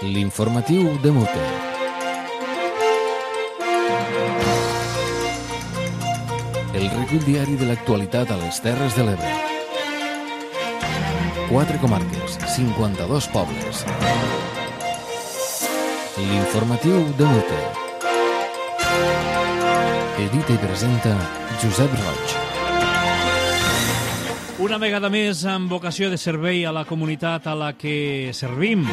L'informatiu de Mute. El recull diari de l'actualitat a les Terres de l'Ebre. 4 comarques, 52 pobles. L'informatiu de Mute. Edita i presenta Josep Roig. Una vegada més amb vocació de servei a la comunitat a la que servim,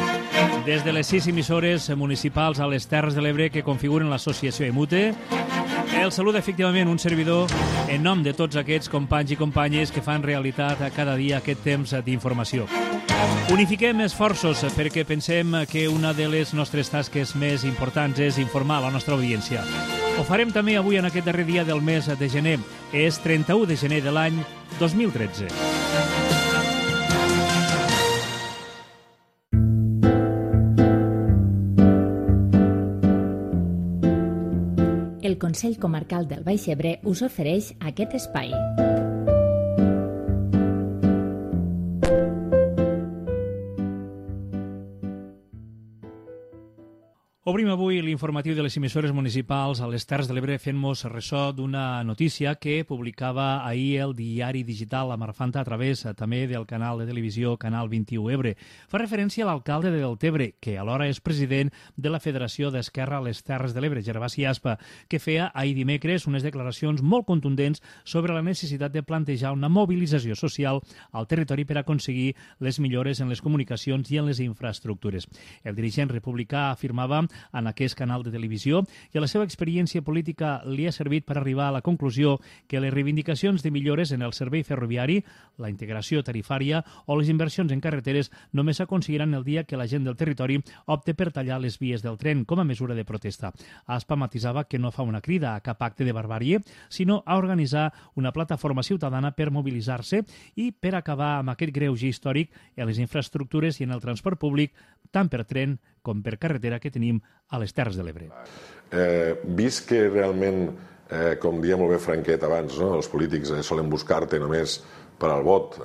des de les 6 emissores municipals a les Terres de l'Ebre que configuren l'associació EMUTE, el saluda efectivament un servidor en nom de tots aquests companys i companyes que fan realitat cada dia aquest temps d'informació. Unifiquem esforços perquè pensem que una de les nostres tasques més importants és informar la nostra audiència. Ho farem també avui en aquest darrer dia del mes de gener. És 31 de gener de l'any 2013. El Consell Comarcal del Baix Ebre us ofereix aquest espai. Obrim avui l'informatiu de les emissores municipals a les Terres de l'Ebre fent-nos ressò d'una notícia que publicava ahir el diari digital La Marfanta a través també del canal de televisió Canal 21 Ebre. Fa referència a l'alcalde de Deltebre, que alhora és president de la Federació d'Esquerra a les Terres de l'Ebre, Gervasi Aspa, que feia ahir dimecres unes declaracions molt contundents sobre la necessitat de plantejar una mobilització social al territori per aconseguir les millores en les comunicacions i en les infraestructures. El dirigent republicà afirmava en aquest canal de televisió i la seva experiència política li ha servit per arribar a la conclusió que les reivindicacions de millores en el servei ferroviari, la integració tarifària o les inversions en carreteres només s'aconseguiran el dia que la gent del territori opte per tallar les vies del tren com a mesura de protesta. Aspa matisava que no fa una crida a cap acte de barbàrie, sinó a organitzar una plataforma ciutadana per mobilitzar-se i per acabar amb aquest greuge històric en les infraestructures i en el transport públic, tant per tren com per carretera que tenim a les Terres de l'Ebre. Vist que realment, com deia molt bé Franquet abans, els polítics solen buscar-te només per al vot,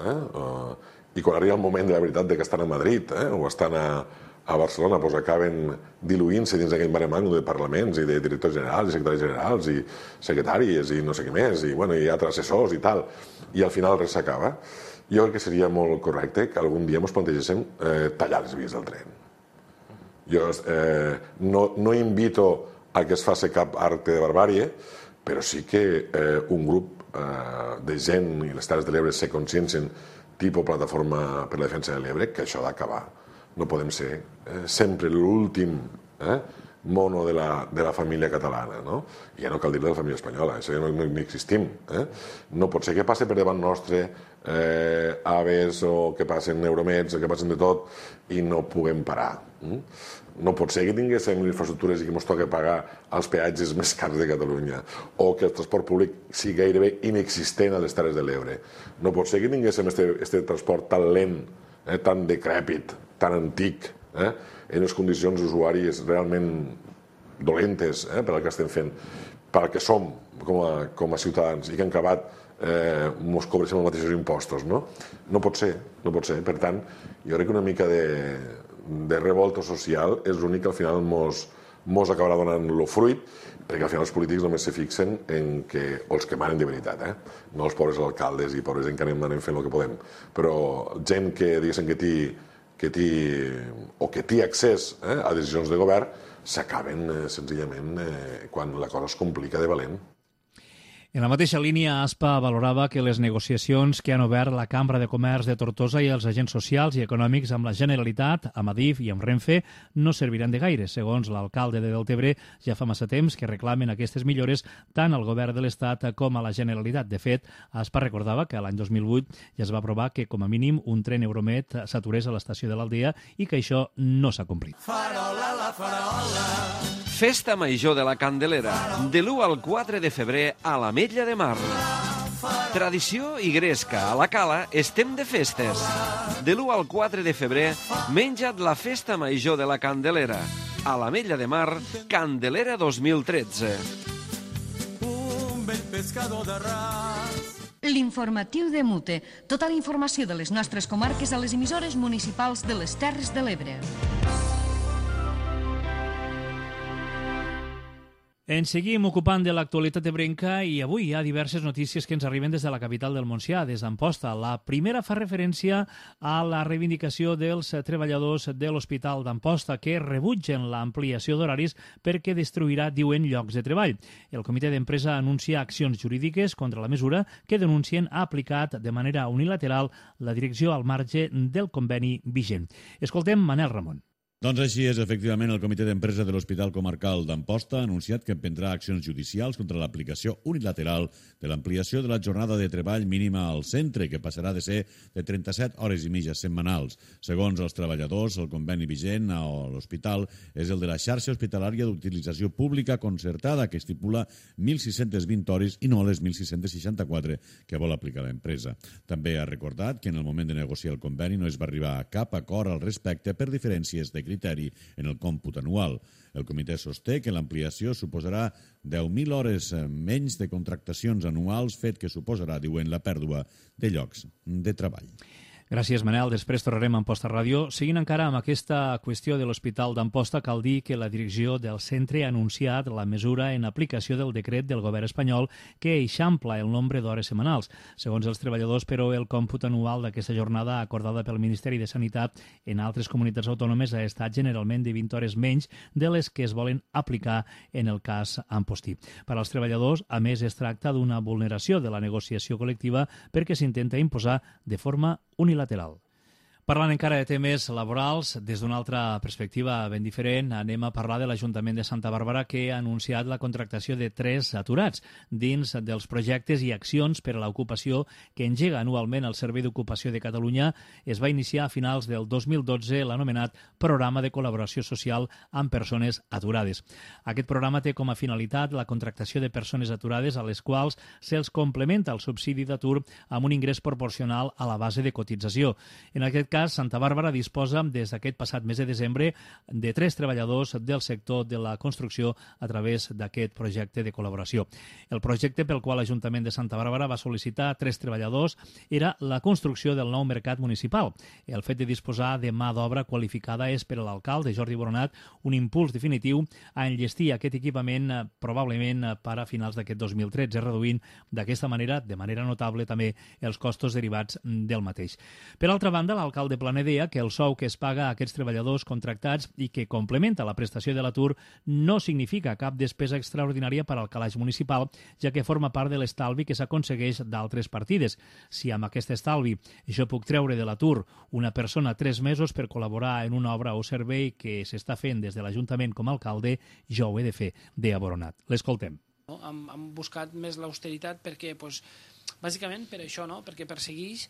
i quan arriba el moment de la veritat de que estan a Madrid o estan a Barcelona, doncs acaben diluint-se dins d'aquell mare magnum de parlaments i de directors generals i secretaris generals i secretàries i no sé què més, i altres assessors i tal, i al final res s'acaba. Jo crec que seria molt correcte que algun dia ens plantegéssim tallar les vies del tren. Jo no invito a que es faci cap acte de barbàrie, però sí que un grup de gent i les Terres de l'Ebre se consciencien tipus plataforma per la defensa de l'Ebre, que això ha d'acabar. No podem ser sempre l'últim mono de la família catalana, no? Ja no cal dir de la família espanyola, això ja no existim. No pot ser que passi per davant nostre aves o que passen euromets o que passen de tot i no puguem parar. No pot ser que tinguéssim infraestructures i que ens toqui pagar els peatges més cars de Catalunya o que el transport públic sigui gairebé inexistent a les Terres de l'Ebre. No pot ser que tinguéssim aquest transport tan lent, tan decrèpit, tan antic, en les condicions usuàries realment dolentes per al que estem fent, per al que som com a ciutadans i que han acabat ens cobreixen els mateixos impostos. No pot ser. Per tant, jo crec que una mica de revolta social és l'únic que al final ens acabarà donant el fruit, perquè al final els polítics només se fixen en que els que manen de veritat, no els pobres alcaldes i pobres gent que anem fent el que podem, però gent que diguéssim que té accés a decisions de govern s'acaben senzillament quan la cosa es complica de valent. En la mateixa línia, Aspa valorava que les negociacions que han obert la Cambra de Comerç de Tortosa i els agents socials i econòmics amb la Generalitat, amb Adif i amb Renfe no serviran de gaire. Segons l'alcalde de Deltebre, ja fa massa temps que reclamen aquestes millores tant al govern de l'Estat com a la Generalitat. De fet, Aspa recordava que l'any 2008 ja es va aprovar que com a mínim un tren Euromet s'aturés a l'estació de l'Aldea i que això no s'ha complit. Farola, la farola. Festa Major de la Candelera, de l'1 al 4 de febrer a l'Ametlla de Mar. Tradició i gresca, a la Cala estem de festes. De l'1 al 4 de febrer, menja't la Festa Major de la Candelera. A l'Ametlla de Mar, Candelera 2013. Un vell pescador de ras. L'informatiu de Mute. Tota la informació de les nostres comarques a les emissores municipals de les Terres de l'Ebre. Ens seguim ocupant de l'actualitat ebrenca i avui hi ha diverses notícies que ens arriben des de la capital del Montsià, des d'Amposta. La primera fa referència a la reivindicació dels treballadors de l'Hospital d'Amposta que rebutgen l'ampliació d'horaris perquè destruirà, diuen, llocs de treball. El comitè d'empresa anuncia accions jurídiques contra la mesura que denuncien ha aplicat de manera unilateral la direcció al marge del conveni vigent. Escoltem Manel Ramon. Doncs així és, efectivament, el comitè d'empresa de l'Hospital Comarcal d'Amposta ha anunciat que emprendrà accions judicials contra l'aplicació unilateral de l'ampliació de la jornada de treball mínima al centre, que passarà de ser de 37 hores i mitja setmanals. Segons els treballadors, el conveni vigent a l'hospital és el de la xarxa hospitalària d'utilització pública concertada, que estipula 1.620 hores i no les 1.664 que vol aplicar l'empresa. També ha recordat que en el moment de negociar el conveni no es va arribar a cap acord al respecte per diferències de criteri en el còmput anual. El comitè sosté que l'ampliació suposarà 10.000 hores menys de contractacions anuals, fet que suposarà, diuen, la pèrdua de llocs de treball. Gràcies, Manel. Després tornarem a Amposta Ràdio. Seguint encara amb aquesta qüestió de l'Hospital d'Amposta, cal dir que la direcció del centre ha anunciat la mesura en aplicació del decret del govern espanyol que eixampla el nombre d'hores setmanals. Segons els treballadors, però, el còmput anual d'aquesta jornada acordada pel Ministeri de Sanitat en altres comunitats autònomes ha estat generalment de 20 hores menys de les que es volen aplicar en el cas ampostí. Per als treballadors, a més, es tracta d'una vulneració de la negociació col·lectiva perquè s'intenta imposar de forma unilateral. Parlant encara de temes laborals, des d'una altra perspectiva ben diferent, anem a parlar de l'Ajuntament de Santa Bàrbara, que ha anunciat la contractació de 3 aturats dins dels projectes i accions per a l'ocupació que engega anualment el Servei d'Ocupació de Catalunya. Es va iniciar a finals del 2012 l'anomenat Programa de Col·laboració Social amb Persones Aturades. Aquest programa té com a finalitat la contractació de persones aturades a les quals se'ls complementa el subsidi d'atur amb un ingrés proporcional a la base de cotització. En aquest cas, Santa Bàrbara disposa des d'aquest passat mes de desembre de 3 treballadors del sector de la construcció a través d'aquest projecte de col·laboració. El projecte pel qual l'Ajuntament de Santa Bàrbara va sol·licitar 3 treballadors era la construcció del nou mercat municipal. El fet de disposar de mà d'obra qualificada és per a l'alcalde Jordi Boronat un impuls definitiu a enllestir aquest equipament probablement per a finals d'aquest 2013, reduint d'aquesta manera, de manera notable, també els costos derivats del mateix. Per altra banda, l'alcalde de Planedea que el sou que es paga a aquests treballadors contractats i que complementa la prestació de l'atur no significa cap despesa extraordinària per al calaix municipal, ja que forma part de l'estalvi que s'aconsegueix d'altres partides. Si amb aquest estalvi jo puc treure de l'atur una persona 3 mesos per col·laborar en una obra o servei que s'està fent des de l'Ajuntament com a alcalde, jo ho he de fer, de Aboronat. L'escoltem. Hem buscat més l'austeritat perquè, bàsicament per això, perquè persegueix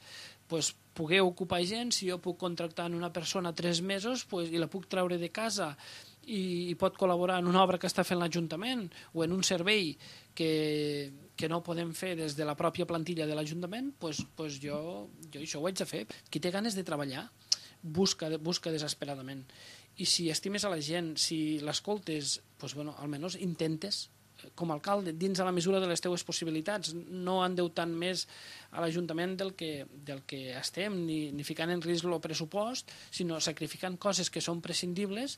poder ocupar gent. Si jo puc contractar en una persona 3 mesos i la puc treure de casa i pot col·laborar en una obra que està fent l'Ajuntament o en un servei que no podem fer des de la pròpia plantilla de l'Ajuntament, jo això ho haig de fer. Qui té ganes de treballar busca desesperadament. I si estimes a la gent, si l'escoltes, almenys intentes, com a alcalde, dins de la mesura de les teves possibilitats, no endeutant més a l'Ajuntament del que estem, ni ficant en risc el pressupost, sinó sacrificant coses que són prescindibles,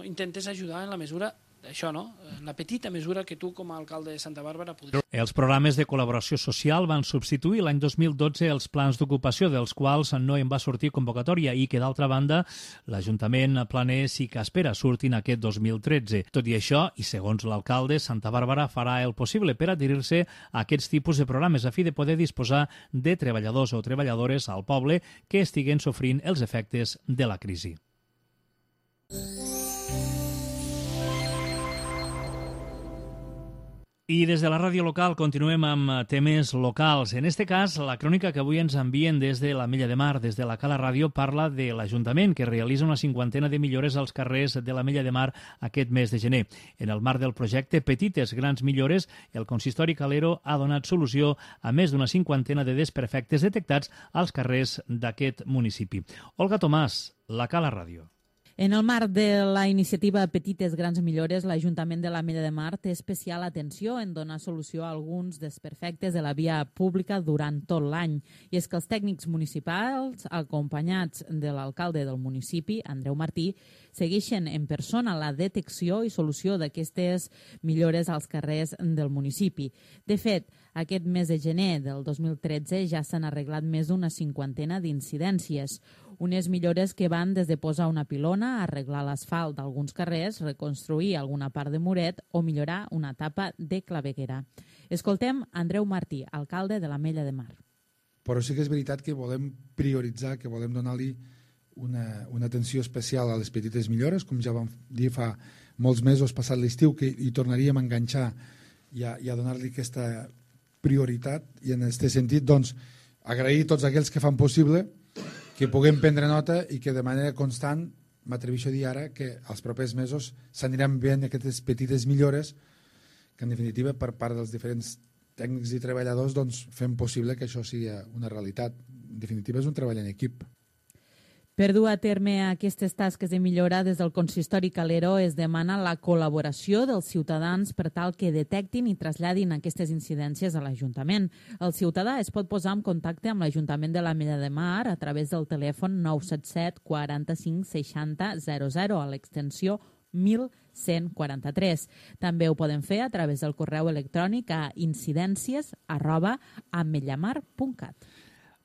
intentes ajudar en la mesura, això, en la petita mesura que tu com a alcalde de Santa Bàrbara podries. Els programes de col·laboració social van substituir l'any 2012 els plans d'ocupació, dels quals no en va sortir convocatòria i que, d'altra banda, l'Ajuntament planer sí que espera surtin aquest 2013. Tot i això, i segons l'alcalde, Santa Bàrbara farà el possible per adherir-se a aquests tipus de programes a fi de poder disposar de treballadors o treballadores al poble que estiguen sofrint els efectes de la crisi. I des de la ràdio local continuem amb temes locals. En este cas, la crònica que avui ens envien des de l'Ametlla de Mar, des de la Cala Ràdio, parla de l'Ajuntament, que realitza una 50ena de millores als carrers de l'Ametlla de Mar aquest mes de gener. En el marc del projecte Petites Grans Millores, el consistori calero ha donat solució a més d'una 50ena de desperfectes detectats als carrers d'aquest municipi. Olga Tomàs, la Cala Ràdio. En el marc de la iniciativa Petites Grans Millores, l'Ajuntament de l'Ametlla de Mar té especial atenció en donar solució a alguns desperfectes de la via pública durant tot l'any. I és que els tècnics municipals, acompanyats de l'alcalde del municipi, Andreu Martí, segueixen en persona la detecció i solució d'aquestes millores als carrers del municipi. De fet, aquest mes de gener del 2013 ja s'han arreglat més d'una cinquantena d'incidències. Unes millores que van des de posar una pilona, arreglar l'asfalt d'alguns carrers, reconstruir alguna part de muret o millorar una etapa de claveguera. Escoltem Andreu Martí, alcalde de l'Ametlla de Mar. Però sí que és veritat que volem prioritzar, que volem donar-li una atenció especial a les petites millores, com ja vam dir fa molts mesos passat l'estiu, que hi tornaríem a enganxar i a donar-li aquesta prioritat. I en aquest sentit, doncs, agrair a tots aquells que fan possible que puguem prendre nota i que de manera constant, m'atreveixo a dir ara, que els propers mesos s'aniran veient aquestes petites millores que, en definitiva, per part dels diferents tècnics i treballadors, doncs, fem possible que això sigui una realitat. En definitiva, és un treball en equip. Per dur a terme aquestes tasques de millora, des del consistori Calero es demana la col·laboració dels ciutadans per tal que detectin i traslladin aquestes incidències a l'Ajuntament. El ciutadà es pot posar en contacte amb l'Ajuntament de l'Ametlla de Mar a través del telèfon 977 45 60 00 a l'extensió 1143. També ho poden fer a través del correu electrònic a incidències@ametllamar.cat.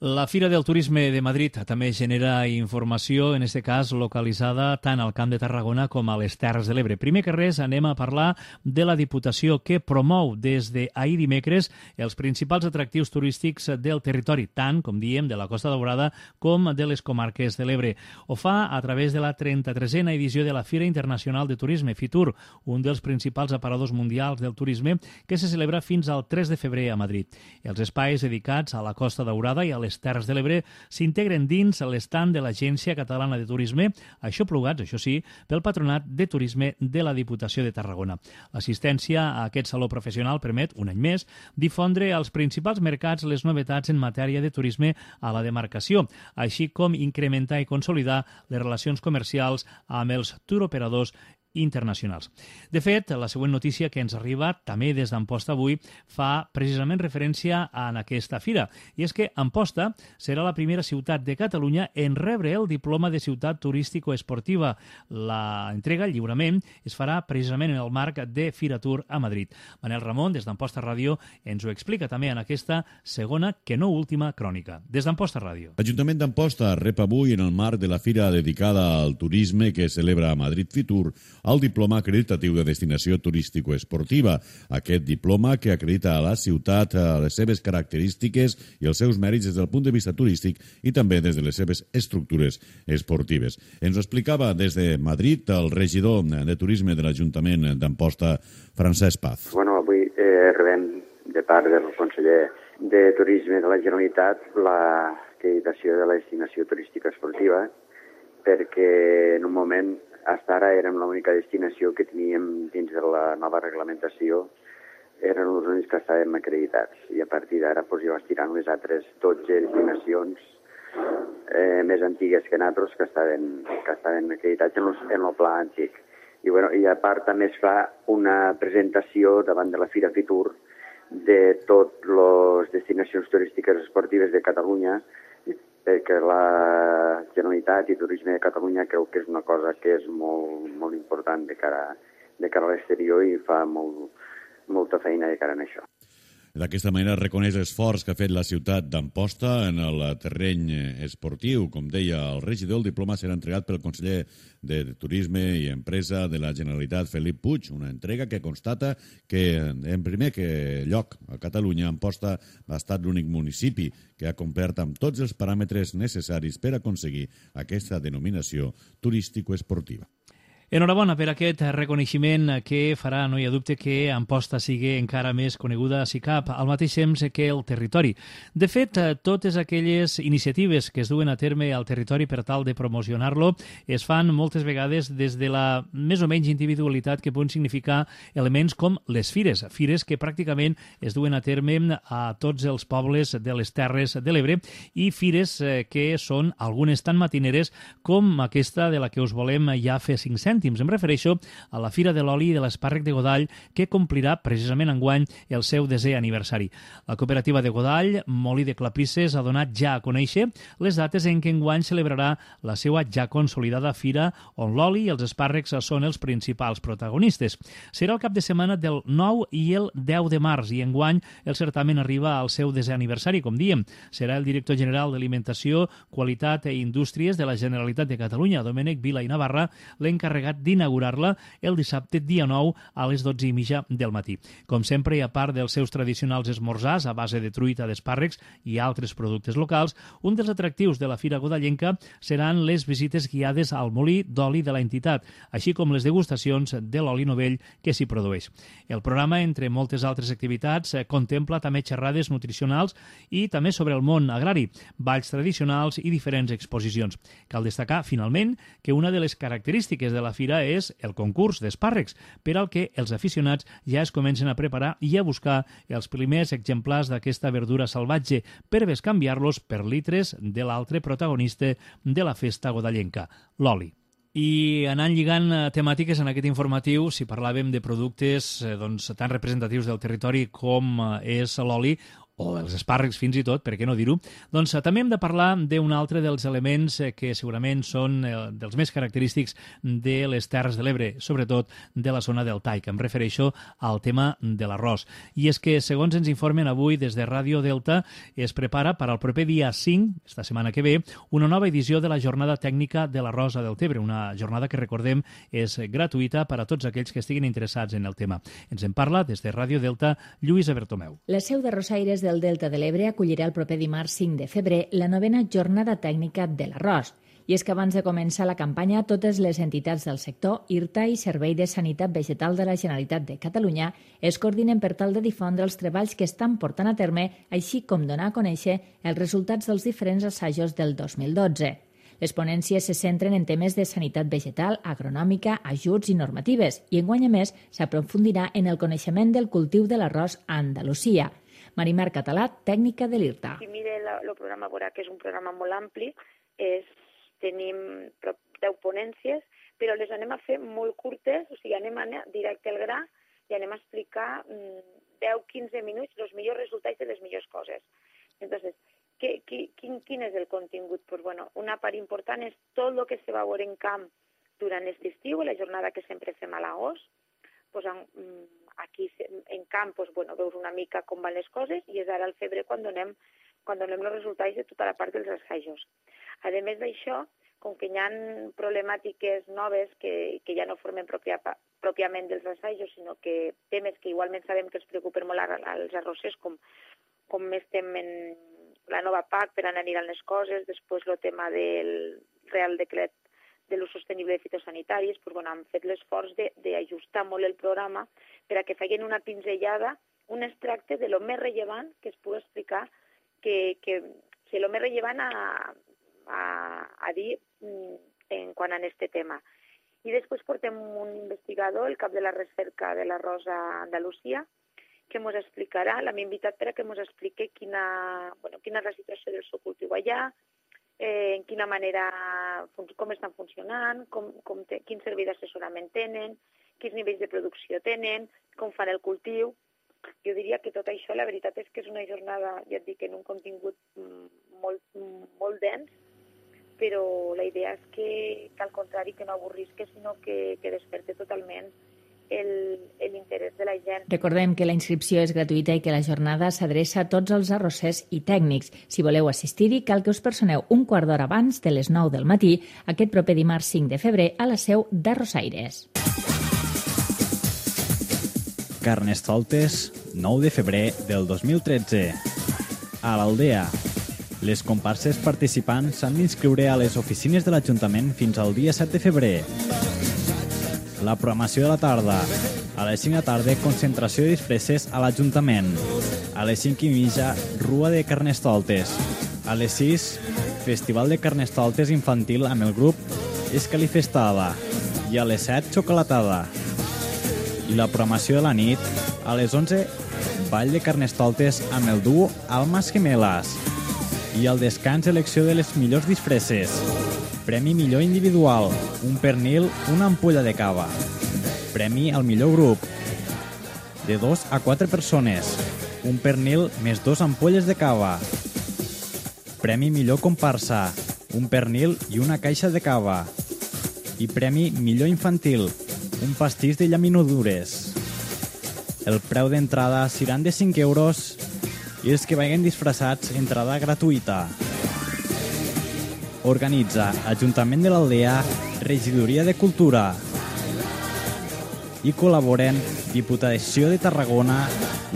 La Fira del Turisme de Madrid també genera informació, en aquest cas localitzada tant al Camp de Tarragona com a les Terres de l'Ebre. Primer que res anem a parlar de la Diputació, que promou des d'ahir dimecres els principals atractius turístics del territori, tant, com diem, de la Costa Daurada com de les comarques de l'Ebre. Ho fa a través de la 33a edició de la Fira Internacional de Turisme, FITUR, un dels principals aparadors mundials del turisme que se celebra fins al 3 de febrer a Madrid. Els espais dedicats a la Costa Daurada i a les Terres de l'Ebre s'integren dins l'estand de l'Agència Catalana de Turisme, aixoplugats, això sí, pel Patronat de Turisme de la Diputació de Tarragona. L'assistència a aquest saló professional permet, un any més, difondre als principals mercats les novetats en matèria de turisme a la demarcació, així com incrementar i consolidar les relacions comercials amb els turoperadors internacionals. De fet, la següent notícia que ens arriba, també des d'Amposta avui, fa precisament referència a aquesta fira. I és que Amposta serà la primera ciutat de Catalunya en rebre el diploma de ciutat turístico-esportiva. La entrega, el lliurament, es farà precisament en el marc de Firatur a Madrid. Manel Ramon, des d'Amposta Ràdio, ens ho explica també en aquesta segona, que no última, crònica. Des d'Amposta Ràdio. L'Ajuntament d'Amposta rep avui, en el marc de la fira dedicada al turisme que celebra a Madrid Fitur, el diploma acreditatiu de destinació turístico-esportiva. Aquest diploma que acredita a la ciutat les seves característiques i els seus mèrits des del punt de vista turístic i també des de les seves estructures esportives. Ens ho explicava des de Madrid el regidor de Turisme de l'Ajuntament d'Amposta, Francesc Paz. Bueno, avui rebem de part del conseller de Turisme de la Generalitat l'acreditació de la destinació turística esportiva, perquè en un moment fins ara érem l'única destinació que teníem dins de la nova reglamentació, eren els únics que estàvem acreditats, i a partir d'ara ja vas tirant les altres 12 destinacions més antigues que nosaltres que estaven acreditats en el pla antic. I a part també es fa una presentació davant de la Fira Fitur de totes les destinacions turístiques esportives de Catalunya, perquè la Generalitat i Turisme de Catalunya creu que és una cosa que és molt important de cara a l'exterior i fa molta feina de cara a això. D'aquesta manera reconeix l'esforç que ha fet la ciutat d'Amposta en el terreny esportiu. Com deia el regidor, el diploma serà entregat pel conseller de Turisme i Empresa de la Generalitat, Felip Puig, una entrega que constata que, en primer lloc, a Catalunya, Amposta ha estat l'únic municipi que ha complert amb tots els paràmetres necessaris per aconseguir aquesta denominació turístico-esportiva. Enhorabona per aquest reconeixement que farà, no hi ha dubte, que Amposta sigui encara més coneguda si cap, al mateix temps que el territori. De fet, totes aquelles iniciatives que es duen a terme al territori per tal de promocionar-lo es fan moltes vegades des de la més o menys individualitat que poden significar elements com les fires que pràcticament es duen a terme a tots els pobles de les Terres de l'Ebre i fires que són algunes tan matineres com aquesta de la que us volem ja fer 5 cèntims. Em refereixo a la Fira de l'Oli i de l'Espàrrec de Godall, que complirà precisament enguany el seu 10è aniversari. La cooperativa de Godall, Molí de Clapisses, ha donat ja a conèixer les dates en què enguany celebrarà la seva ja consolidada fira, on l'oli i els espàrrecs són els principals protagonistes. Serà el cap de setmana del 9 i el 10 de març i enguany el certamen arriba al seu 10è aniversari, com diem. Serà el director general d'Alimentació, Qualitat i Indústries de la Generalitat de Catalunya, Domènec Vila i Navarra, l'encarregat d'inaugurar-la el dissabte dia 9 a les 12:30 del matí. Com sempre, i a part dels seus tradicionals esmorzars a base de truita d'espàrrecs i altres productes locals, un dels atractius de la Fira Godallenca seran les visites guiades al molí d'oli de la entitat, així com les degustacions de l'oli novell que s'hi produeix. El programa, entre moltes altres activitats, contempla també xerrades nutricionals i també sobre el món agrari, balls tradicionals i diferents exposicions. Cal destacar, finalment, que una de les característiques de la fira és el concurs d'espàrrecs, per al que els aficionats ja es comencen a preparar i a buscar els primers exemplars d'aquesta verdura salvatge per bescanviar-los per litres de l'altre protagonista de la festa godallenca, l'oli. I anant lligant temàtiques en aquest informatiu, si parlàvem de productes tan representatius del territori com és l'oli, o els espàrrecs fins i tot, per què no dir-ho, doncs també hem de parlar d'un altre dels elements que segurament són dels més característics de les Terres de l'Ebre, sobretot de la zona del Taig. Em refereixo al tema de l'arròs. I és que, segons ens informen avui des de Ràdio Delta, es prepara per al proper dia 5, esta setmana que ve, una nova edició de la Jornada Tècnica de l'Arròs a Deltebre, una jornada que, recordem, és gratuïta per a tots aquells que estiguin interessats en el tema. Ens en parla des de Ràdio Delta Lluïsa Bertomeu. La seu de Rosaires del Delta de l'Ebre acollirà el proper dimarts 5 de febrer la 9a Jornada Tècnica de l'Arròs. I és que abans de començar la campanya, totes les entitats del sector, IRTA i Servei de Sanitat Vegetal de la Generalitat de Catalunya es coordinen per tal de difondre els treballs que estan portant a terme, així com donar a conèixer els resultats dels diferents assajos del 2012. Les ponències se centren en temes de sanitat vegetal, agronòmica, ajuts i normatives, i enguany a més s'aprofundirà en el coneixement del cultiu de l'arròs a Andalusia. Marimar Català, tècnica de l'IRTA. Si mire el programa, veurà que és un programa molt ampli, tenim prop 10 ponències, però les anem a fer molt curtes, o sigui, anem directe al gra i anem a explicar 10-15 minuts els millors resultats de les millors coses. Entonces, quin és el contingut? Pues bueno, una part important és tot el que se va veure en camp durant aquest estiu, la jornada que sempre fem a l'agost. Pues aquí en camp veus una mica com van les coses i és ara al febrer quan donem els resultats de tota la part dels assajos. A més d'això, com que hi ha problemàtiques noves que ja no formen pròpiament dels assajos, sinó que temes que igualment sabem que els preocupen molt als arrossers, com estem en la nova PAC per anar anirant les coses, després el tema del Real Decret de l'ús sostenible de fitosanitaris, hem fet l'esforç d'ajustar molt el programa per a que facin una pinzellada, un extracte de lo més rellevant que es pugui explicar, lo més rellevant a dir en quant a aquest tema. I després portem un investigador, el cap de la recerca de l'arròs a Andalusia, que ens explicarà, l'hem invitat per a que ens expliqui quina és la situació del seu cultiu allà, en quina manera, com estan funcionant, quin servei d'assessorament tenen, quins nivells de producció tenen, com fan el cultiu. Jo diria que tot això, la veritat és que és una jornada, ja et dic, en un contingut molt dens, però la idea és que al contrari, que no avorrisque, sinó que desperte totalment l'interès de la gent. Recordem que la inscripció és gratuïta i que la jornada s'adreça a tots els arrossers i tècnics. Si voleu assistir-hi, cal que us personeu un quart d'hora abans de les 9 del matí, aquest proper dimarts 5 de febrer, a la seu d'Arrossaires. Carnestoltes, 9 de febrer del 2013. A l'Aldea. Les comparses participants s'han d'inscriure a les oficines de l'Ajuntament fins al dia 7 de febrer. la programació de la tarda. A les 5 de la tarda, concentració de disfresses a l'Ajuntament. A les 5:30, rua de Carnestoltes. A les 6, festival de Carnestoltes infantil amb el grup Escalifestada. I a les 7, xocolatada. I la programació de la nit, a les 11, ball de Carnestoltes amb el duo Almas Gemelas. I al descans, elecció de les millors disfresses. Premi millor individual, un pernil, una ampolla de cava. Premi al millor grup, de 2 a 4 persones, un pernil més 2 ampolles de cava. Premi millor comparsa, un pernil i una caixa de cava. I premi millor infantil, un pastís de llaminadures. El preu d'entrada seran de 5 euros i els que vagin disfressats, entrada gratuïta. Organitza Ajuntament de l'Aldea, Regidoria de Cultura. I col·laboren Diputació de Tarragona,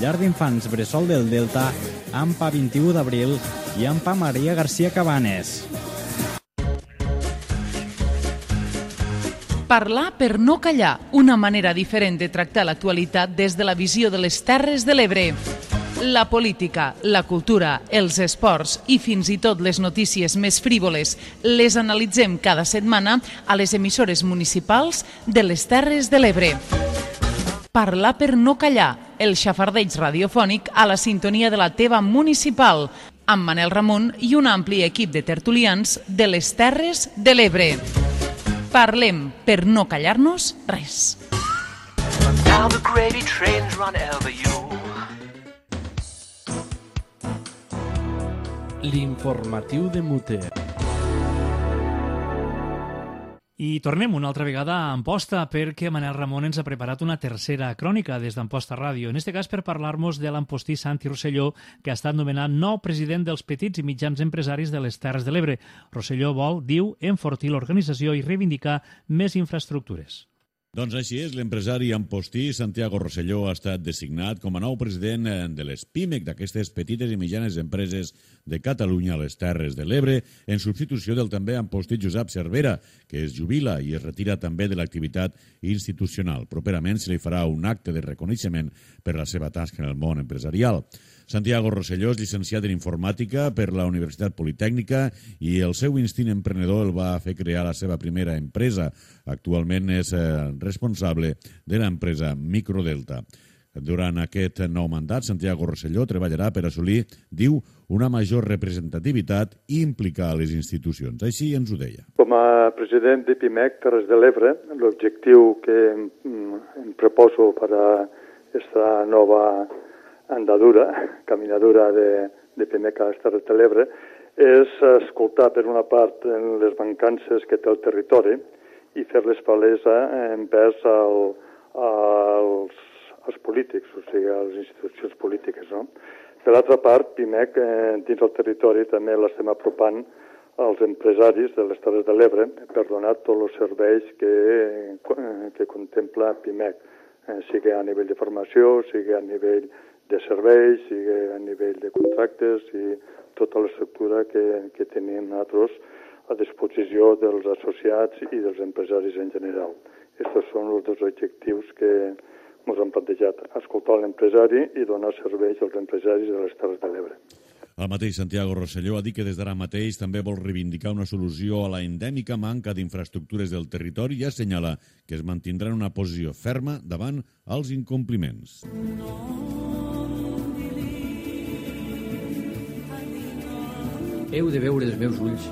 Llar d'Infants Bressol del Delta, AMPA 21 d'Abril i AMPA Maria García Cabanes. Parlar per no callar, una manera diferent de tractar l'actualitat des de la visió de les Terres de l'Ebre. La política, la cultura, els esports i fins i tot les notícies més frívoles les analitzem cada setmana a les emissores municipals de les Terres de l'Ebre. Parlar per no callar, el xafardeig radiofònic a la sintonia de la teva municipal, amb Manel Ramon i un ampli equip de tertulians de les Terres de l'Ebre. Parlem per no callar-nos res. Now the gravy trains run over you. L'informatiu de Mute. I tornem una altra vegada a Amposta perquè Manel Ramon ens ha preparat una tercera crònica des d'Amposta Ràdio. En este cas per parlar-nos de l'ampostí Santi Rosselló, que ha estat nomenat nou president dels petits i mitjans empresaris de les Terres de l'Ebre. Rosselló vol, diu, enfortir l'organització i reivindicar més infraestructures. Doncs així és, l'empresari ampostí Santiago Rosselló ha estat designat com a nou president de les PIMEC, d'aquestes petites i mitjanes empreses de Catalunya a les Terres de l'Ebre, en substitució del també ampostí Josep Cervera, que es jubila i es retira també de l'activitat institucional. Properament se li farà un acte de reconeixement per la seva tasca en el món empresarial. Santiago Rosselló és llicenciat en informàtica per la Universitat Politècnica i el seu instint emprenedor el va fer crear la seva primera empresa. Actualment és responsable de l'empresa Microdelta. Durant aquest nou mandat, Santiago Rosselló treballarà per assolir, diu, una major representativitat i implicar les institucions. Així ens ho deia. Com a president de PIMEC Terres de l'Ebre, l'objectiu que em proposo per a aquesta nova caminadura de PIMEC a les Terres de l'Ebre és escoltar per una part les mancances que té el territori i fer-les palesa envers als polítics, o sigui, a les institucions polítiques, no? Per l'altra part, PIMEC dins el territori també l'estem apropant als empresaris de les Terres de l'Ebre per donar tots els serveis que contempla PIMEC, sigui a nivell de formació, sigui a nivell de serveis, sigui a nivell de contractes i tota l'estructura que tenim nosaltres a disposició dels associats i dels empresaris en general. Aquests són els dos objectius que ens han plantejat, escoltar l'empresari i donar serveis als empresaris de les Terres de l'Ebre. El mateix Santiago Rosselló ha dit que des d'ara mateix també vol reivindicar una solució a la endèmica manca d'infraestructures del territori i assenyala que es mantindrà en una posició ferma davant els incompliments. Heu de veure els meus ulls,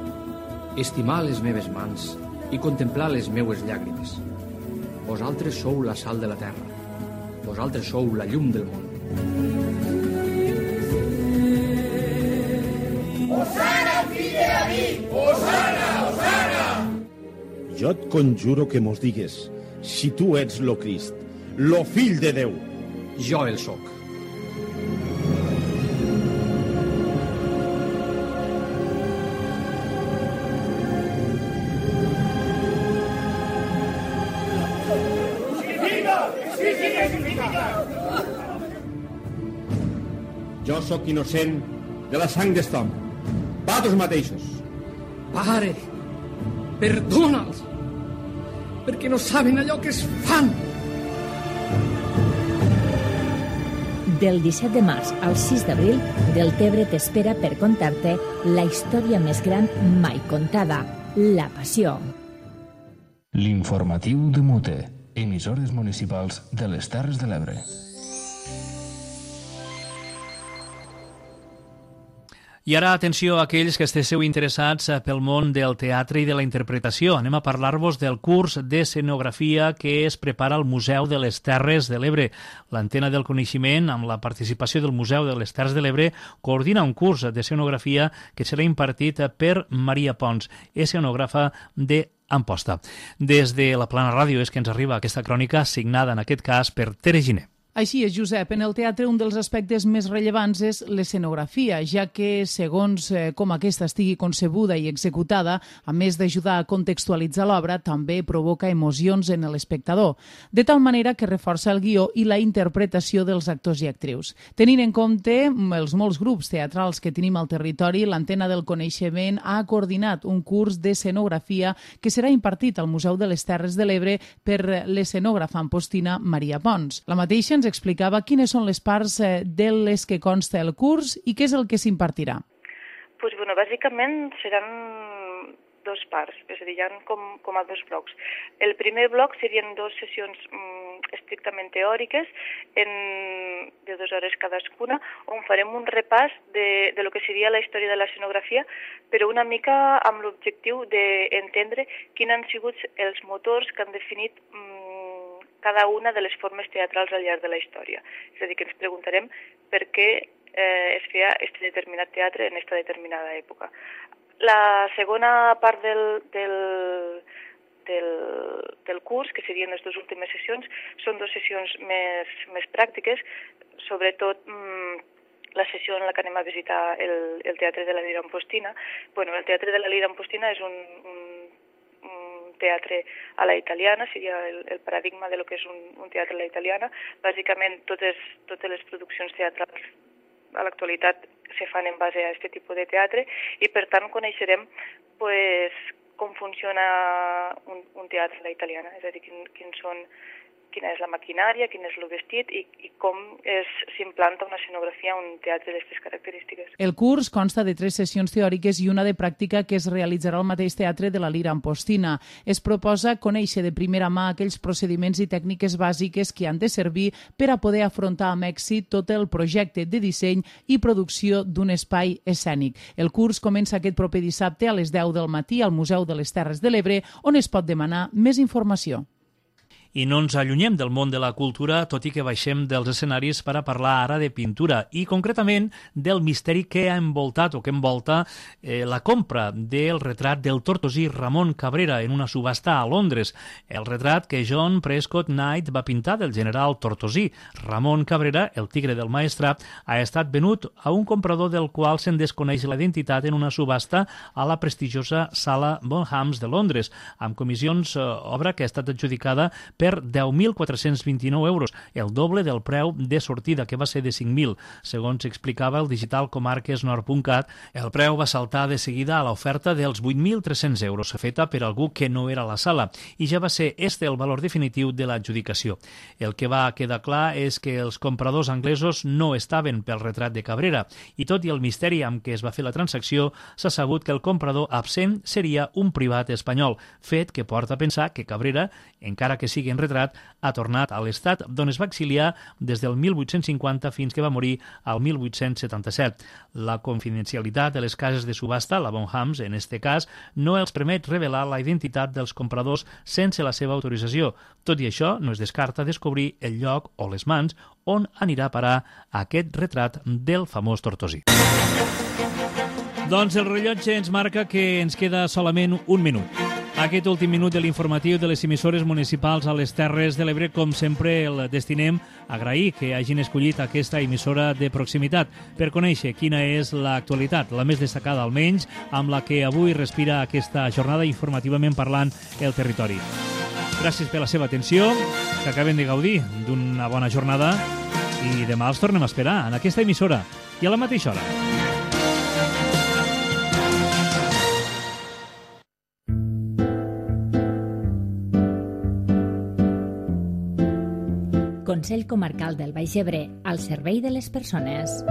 estimar les meves mans i contemplar les meues llàgrimes. Vosaltres sou la sal de la terra. Vosaltres sou la llum del món. Osana, fill de David! Osana, Osana! Jo et conjuro que mos digues si tu ets lo Crist, lo fill de Déu. Jo el soc. Jo sóc innocent de la sang d'est home. Vosaltres mateixos. Pare, perdona'ls. perquè no saben allò que es fan. Del 17 de març al 6 d'abril, Deltebre t'espera per contar-te la història més gran mai contada, la Passió. L'informatiu de Mute, emissores municipals de les Terres de l'Ebre. I ara, atenció a aquells que estigueu interessats pel món del teatre i de la interpretació. Anem a parlar-vos del curs d'escenografia que es prepara al Museu de les Terres de l'Ebre. L'Antena del Coneixement, amb la participació del Museu de les Terres de l'Ebre, coordina un curs d'escenografia que serà impartit per Maria Pons, escenògrafa d'Amposta. Des de la Plana Ràdio és que ens arriba aquesta crònica signada, en aquest cas, per Tere Giner. Així és, Josep. En el teatre un dels aspectes més rellevants és l'escenografia, ja que, segons com aquesta estigui concebuda i executada, a més d'ajudar a contextualitzar l'obra, també provoca emocions en l'espectador, de tal manera que reforça el guió i la interpretació dels actors i actrius. Tenint en compte els molts grups teatrals que tenim al territori, l'Antena del Coneixement ha coordinat un curs d'escenografia que serà impartit al Museu de les Terres de l'Ebre per l'escenògrafa ampostina Maria Pons. La mateixa ens explicava quines són les parts de les que consta el curs i què és el que s'impartirà. Bàsicament seran dos parts, és a dir, hi ha com a dos blocs. El primer bloc serien dues sessions estrictament teòriques de 2 hores cadascuna, on farem un repàs de lo que seria la història de l'escenografia, però una mica amb l'objectiu d'entendre quins han sigut els motors que han definit cada una de les formes teatrals al llarg de la història. És a dir, que ens preguntarem per què es feia aquest determinat teatre en aquesta determinada època. La segona part del curs, que serien les dues últimes sessions, són 2 sessions més pràctiques, sobretot la sessió en la que anem a visitar el Teatre de la Lira Ampostina. El Teatre de la Lira Ampostina és un teatre a la italiana, seria el paradigma de lo que és un teatre a la italiana. Bàsicament, totes les produccions teatrals a l'actualitat se fan en base a aquest tipus de teatre i, per tant, coneixerem com funciona un teatre a la italiana, és a dir, quina és la maquinària, quin és el vestit i com s'implanta una escenografia a un teatre d'aquestes característiques. El curs consta de 3 sessions teòriques i una de pràctica que es realitzarà al mateix teatre de la Lira Ampostina. Es proposa conèixer de primera mà aquells procediments i tècniques bàsiques que han de servir per a poder afrontar amb èxit tot el projecte de disseny i producció d'un espai escènic. El curs comença aquest proper dissabte a les 10 del matí al Museu de les Terres de l'Ebre, on es pot demanar més informació. I no ens allunyem del món de la cultura, tot i que baixem dels escenaris per a parlar ara de pintura i concretament del misteri que ha envoltat o que envolta la compra del retrat del tortosí Ramon Cabrera en una subhasta a Londres. El retrat que John Prescott Knight va pintar del general Tortosí. Ramon Cabrera, el tigre del Maestrat, ha estat venut a un comprador del qual se'n desconeix la identitat en una subhasta a la prestigiosa sala Bonhams de Londres, amb comissions, obra que ha estat adjudicada per 10.429 euros, el doble del preu de sortida, que va ser de 5.000. Segons explicava el digital comarquesnord.cat, el preu va saltar de seguida a l'oferta dels 8.300 euros, feta per algú que no era a la sala, i ja va ser este el valor definitiu de l'adjudicació. El que va quedar clar és que els compradors anglesos no estaven pel retrat de Cabrera, i tot i el misteri amb què es va fer la transacció, s'ha sabut que el comprador absent seria un privat espanyol, fet que porta a pensar que Cabrera, encara que sigui en retrat, ha tornat a l'estat d'on es va exiliar des del 1850 fins que va morir al 1877. La confidencialitat de les cases de subhasta, la Bonhams, en este cas, no els permet revelar la identitat dels compradors sense la seva autorització. Tot i això, no es descarta descobrir el lloc o les mans on anirà a parar aquest retrat del famós Tortosí. Doncs el rellotge ens marca que ens queda solament un minut. Aquest últim minut de l'informatiu de les emissores municipals a les Terres de l'Ebre, com sempre, el destinem a agrair que hagin escollit aquesta emissora de proximitat per conèixer quina és l'actualitat, la més destacada almenys, amb la que avui respira aquesta jornada informativament parlant el territori. Gràcies per la seva atenció, que acaben de gaudir d'una bona jornada i demà els tornem a esperar en aquesta emissora i a la mateixa hora. Consell Comarcal del Baix Ebre, al servei de les persones.